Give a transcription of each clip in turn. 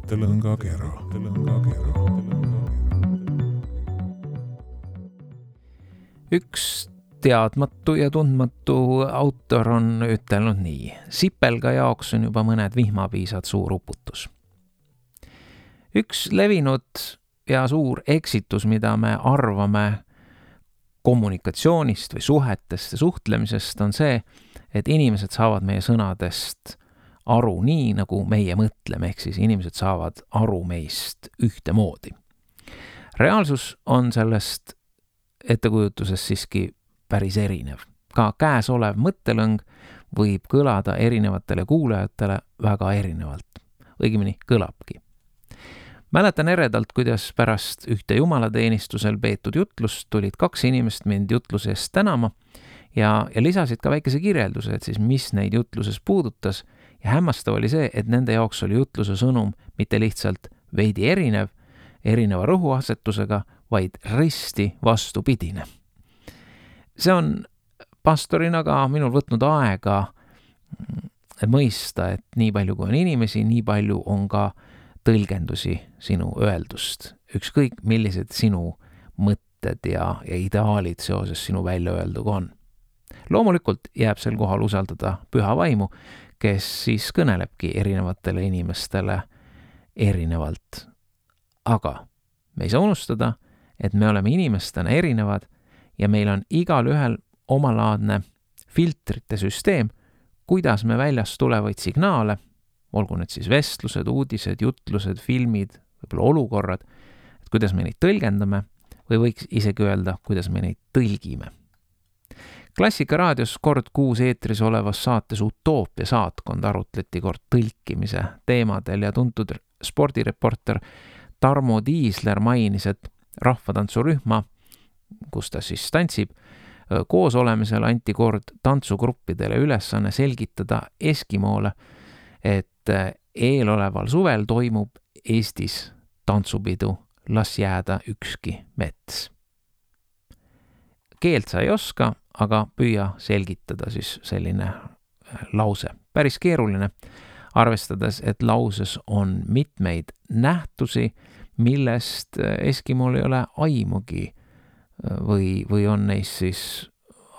mõttelõngakera. Üks teadmatu ja tundmatu autor on ütelnud nii. Sipelga jaoks on juba mõned vihmapiisad suur uputus. Üks levinud ja suur eksitus, mida me arvame kommunikatsioonist või suhetest ja suhtlemisest, on see, et inimesed saavad meie sõnadest aru nii, nagu meie mõtleme, ehk siis inimesed saavad aru meist ühtemoodi. Reaalsus on sellest ettekujutusest siiski päris erinev. Ka käesolev mõttelõng võib kõlada erinevatele kuulajatele väga erinevalt. Õigemini kõlabki. Mäletan eredalt, kuidas pärast ühte jumalateenistusel peetud jutlust tulid 2 inimest mind jutluse eest tänama ja lisasid ka väikese kirjelduse, et siis mis neid jutluses puudutas, ja hämmastav oli see, et nende jaoks oli jutluse sõnum mitte lihtsalt veidi erineva rõhuasetusega, vaid risti vastupidine. See on pastorina ka minul võtnud aega mõista, et nii palju kui on inimesi, nii palju on ka tõlgendusi sinu öeldust. Ükskõik millised sinu mõtted ja ideaalid seoses sinu välja öelduga on. Loomulikult jääb sel kohal usaldada püha vaimu, kes siis kõnelebki erinevatele inimestele erinevalt. Aga me ei saa unustada, et me oleme inimestena erinevad ja meil on igal ühel omalaadne filtrite süsteem, kuidas me väljast tulevaid signaale, olgu need siis vestlused, uudised, jutlused, filmid, võib-olla olukorrad, et kuidas me neid tõlgendame või võiks isegi öelda, kuidas me neid tõlgime. Klassikaraadios kord kuus eetris olevas saates Utoopia saatkond arutleti kord tõlkimise teemadel ja tuntud spordireporter Tarmo Tiisler mainis, et rahvatantsurühma, kus ta siis tantsib, koos olemisel anti kord tantsugruppidele ülesanne selgitada Eskimoole, et eeloleval suvel toimub Eestis tantsupidu, las jääda ükski mets. Keelt sa ei oska, aga püüa selgitada siis selline lause. Päris keeruline, arvestades, et lauses on mitmeid nähtusi, millest Eskimool ei ole aimugi või on neist siis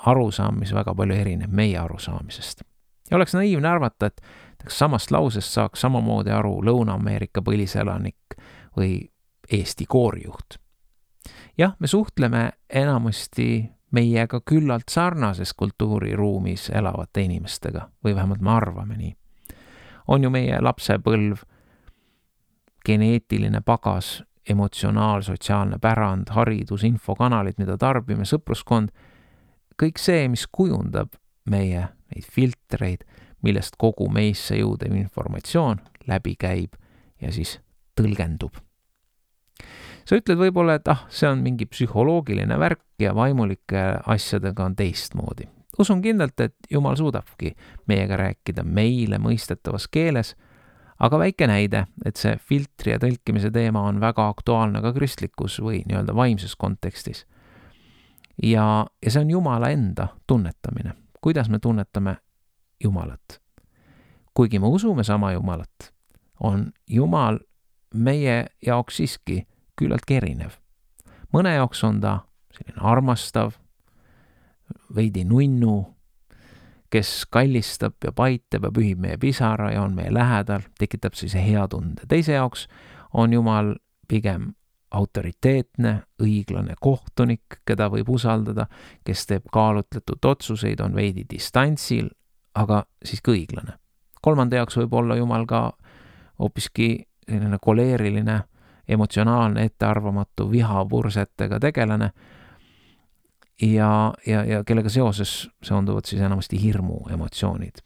arusaam, mis väga palju erineb meie arusaamisest. Ja oleks naiivne arvata, et samast lausest saaks samamoodi aru Lõuna-Ameerika põliselanik või Eesti koorijuht. Jah, me suhtleme enamasti meiega küllalt sarnases kultuuriruumis elavate inimestega või vähemalt me arvame nii. On ju meie lapsepõlv, geneetiline pagas, emotsionaal-sotsiaalne pärand, haridus, infokanalid, mida tarbime, sõpruskond, kõik see, mis kujundab meie neid filtreid, millest kogu meisse jõudev informatsioon läbi käib ja siis tõlgendub. Sa ütled võib-olla, et see on mingi psühholoogiline värk ja vaimulike asjadega on teistmoodi. Usun kindlalt, et Jumal suudabki meiega rääkida meile mõistetavas keeles, aga väike näide, et see filtri ja tõlkimise teema on väga aktuaalne ka kristlikus või nii-öelda vaimses kontekstis. Ja see on Jumala enda tunnetamine. Kuidas me tunnetame Jumalat? Kuigi me usume sama Jumalat, on Jumal meie jaoks siiski küllalt erinev. Mõne jaoks on ta selline armastav, veidi nunnu, kes kallistab ja paitab ja pühib meie pisara ja on meie lähedal, tekitab siis hea tunde. Teise jaoks on Jumal pigem autoriteetne, õiglane kohtunik, keda võib usaldada, kes teeb kaalutletud otsuseid, on veidi distantsil, aga siiski õiglane. Kolmanda jaoks võib olla Jumal ka hoopiski selline koleeriline, emotsionaalne, ettearvamatu, vihapursetega tegelane ja kellega seonduvad siis enamasti hirmu emotsioonid.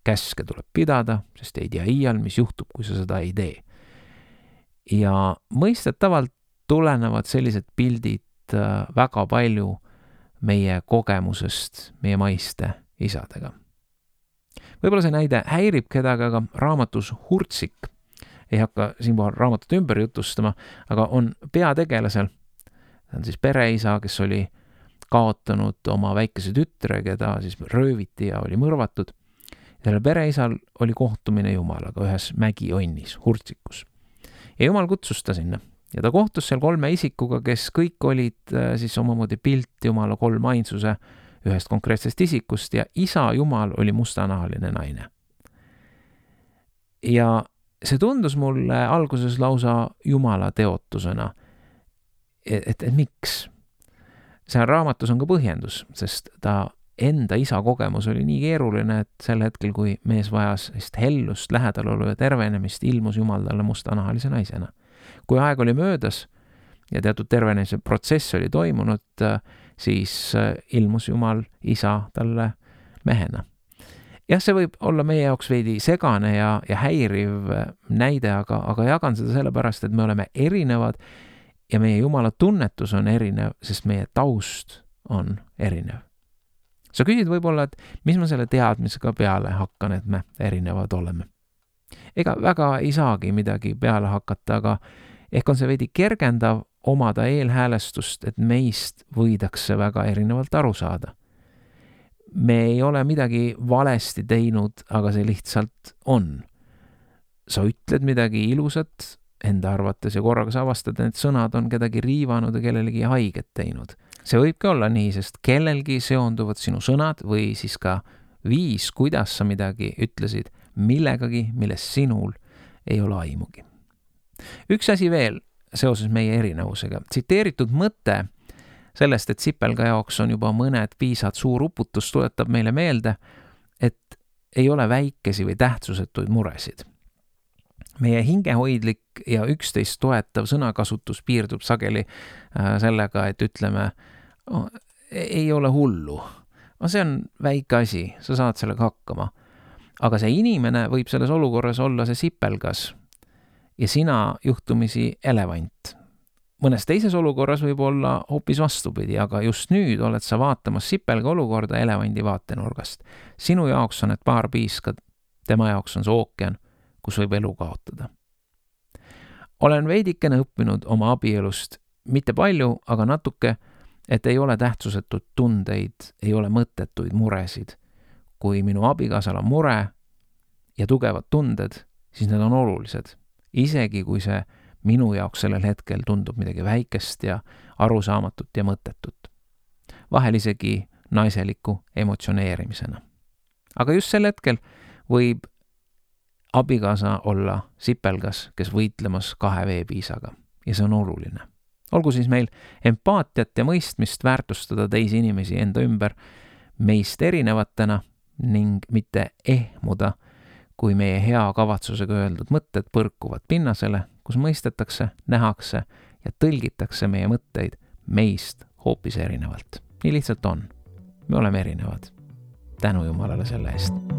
Käske tuleb pidada, sest ei tea iial, mis juhtub, kui sa seda ei tee. Ja mõistetavalt tulenevad sellised pildid väga palju meie kogemusest meie maiste isadega. Võib-olla see näide häirib kedagi, aga raamatus Hurtsik, ei hakka siinpool raamatut ümber jutustama, aga on peategelasel, ta on siis pereisa, kes oli kaotanud oma väikese tütre, keda siis rööviti ja oli mõrvatud. Selle pereisal oli kohtumine Jumalaga ühes mägionnis, Hurtsikus. Ja Jumal kutsus ta sinna ja ta kohtus seal 3 isikuga, kes kõik olid siis omamoodi pilt Jumala 3 ainsuse ühest konkreetsest isikust ja isa Jumal oli mustanahaline naine. Ja see tundus mulle alguses lausa Jumala teotusena, et miks? Seal raamatus on ka põhjendus, sest ta enda isa kogemus oli nii keeruline, et sel hetkel, kui mees vajas hellust, lähedalolu ja tervenemist, ilmus Jumal talle mustanahalise naisena. Kui aeg oli möödas ja teatud tervenemise protsess oli toimunud, siis ilmus Jumal isa talle mehena. Jah, see võib olla meie jaoks veidi segane ja häiriv näide, aga jagan seda sellepärast, et me oleme erinevad ja meie Jumala tunnetus on erinev, sest meie taust on erinev. Sa küsid võib-olla, et mis ma selle teadmisega peale hakkan, et me erinevad oleme. Ega väga ei saagi midagi peale hakata, aga ehk on see veidi kergendav omada eelhäälestust, et meist võidakse väga erinevalt aru saada. Me ei ole midagi valesti teinud, aga see lihtsalt on. Sa ütled midagi ilusat enda arvates ja korraga sa avastad, et sõnad on kedagi riivanud ja kellelegi haiget teinud. See võibki olla nii, sest kellelgi seonduvad sinu sõnad või siis ka viis, kuidas sa midagi ütlesid millegagi, millest sinul ei ole aimugi. Üks asi veel seoses meie erinevusega. Tsiteeritud mõte sellest, et sipelga jaoks on juba mõned piisad suur uputus, tuletab meile meelde, et ei ole väikesi või tähtsusetuid muresid. Meie hingehoidlik ja üksteist toetav sõnakasutus piirdub sageli sellega, et ütleme, ei ole hullu. See on väike asi, sa saad sellega hakkama. Aga see inimene võib selles olukorras olla see sipelgas ja sina juhtumisi elevant. Mõnes teises olukorras võib olla hoopis vastupidi, aga just nüüd oled sa vaatamas sipelga olukorda elevandi vaatenurgast. Sinu jaoks on need paar piiskad, tema jaoks on see ookean, kus võib elu kaotada. Olen veidikene õppinud oma abielust, mitte palju, aga natuke, et ei ole tähtsusetud tundeid, ei ole mõttetuid muresid. Kui minu abikaasal on mure ja tugevad tunded, siis need on olulised. Isegi kui see minu jaoks sellel hetkel tundub midagi väikest ja arusaamatut ja mõttetut. Vahel isegi naiseliku emotsioneerimisena. Aga just sel hetkel võib abikaasa olla sipelgas, kes võitlemas 2 veepiisaga ja see on oluline. Olgu siis meil empaatiat ja mõistmist väärtustada teisi inimesi enda ümber meist erinevatena ning mitte ehmuda, kui meie hea kavatsusega öeldud mõtted põrkuvad pinnasele, kus mõistetakse, nähakse ja tõlgitakse meie mõtteid meist hoopis erinevalt. Nii lihtsalt on. Me oleme erinevad. Tänu Jumalale selle eest.